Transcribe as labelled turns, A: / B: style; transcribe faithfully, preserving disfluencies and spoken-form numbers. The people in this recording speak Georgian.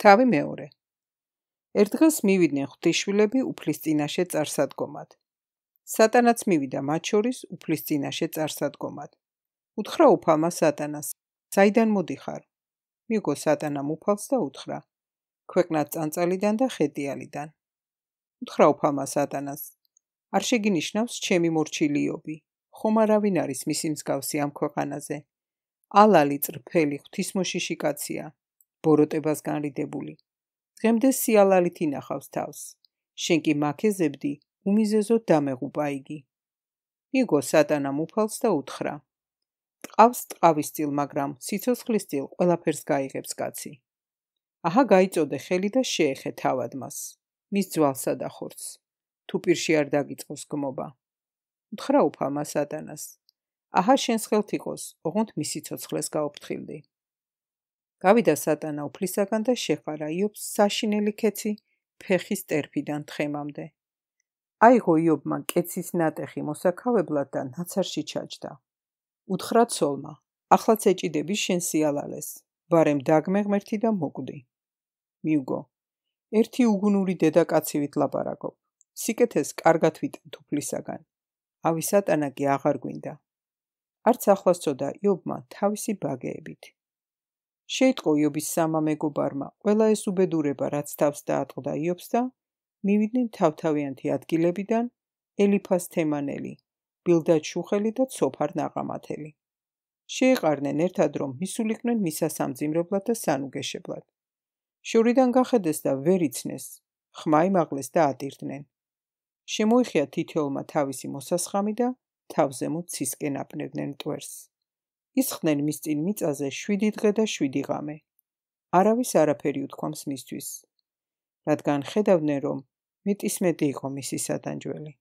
A: თავი მეორე. ერთ დღეს მივიდნენ ღვთისშვილები უფლის წინაშე წარსადგომად. სატანაც მივიდა მათ შორის უფლის წინაშე წარსადგომად. უთხრა უფალმა სატანას, საიდან მოდიხარ? მიუგო სატანამ უფალს და უთხრა, ქვეყნად წანწალიდან და ხეტიალიდან. უთხრა უფალმა სატანას, არ შეგინიშნავს ჩემი მორჩილი იობი, ხომ არავინ არის მისი მსგავსი ამ ქვეყანაზე. ალალი წრფელი ღვთისმოშიში კაცია, ბოროტებას განრიდებული. დღემდე სიალალით ინახავს თავს, შენ კი მაქეზებდი, უმიზეზოდ დამეღუპა იგი. მიუგო სატანამ უფალს და უთხრა, ტყავს ტყავისწილ, მაგრამ სიცოცხლისწილ ყველაფერს გაიღებს კაცი. აჰა გაიწოდე ხელი და შეეხე თავად მას, მის ძვალსა და ხორცს, თუ პირში არ დაგიწყოს გმობა. უთხრა უფალმა სატანას, აჰა შენს ხელთ იყოს, ოღონდ მის სიცოცხლეს გაუფრთხილდი. გავიდა სატანა უფლისაგან და შეყარა იობს საშინელი ქეცი ფეხის ტერფიდან თხემამდე. აიღო იობმა კეცის ნატეხი მოსაქავებლად და ნაცარში ჩაჯდა. უთხრა ცოლმა, ახლაც ეჭიდები შენ სიალალეს, ბარემ დაგმე ღმერთი და მოკვდი. მიუგო, ერთი უგუნური დედაკაცივით ლაპარაკობ, სიკეთეს კარგად ვიტანთ უფლისაგან. ავი სატანა კი აღარ გვინდა. არც ახლას წოდა იობმა თავისი ბაგეებით. შეიტყო იობის სამა მეგობარმა ყველა ეს უბედურება, რაც თავს დაატყდა იობს და მივიდნენ თავთავიანთი ადგილებიდან ელიფას თემანელი, ბილდად შუხელი და ცოფარ ნაყამათელი. შეეყარნენ ერთად, რომ მისულიყვნენ მისა სამძიმრებლად და სანუგეშებლად. შორიდან გახედეს და ვერ იცნეს, ხმა იმაღლეს და ატირდნენ. შემოიხია თითოეულმა თავისი მოსასხამი და თავზემოთ ცისკენ აპნევდნენ მტვერს. ისხდნენ მის წინ მიწაზე შვიდი დღე და შვიდი ღამე. არავის არაფერი უთქვამს მისთვის, რადგან ხედავდნენ, რომ მეტისმეტი იყო მისი სატანჯველი.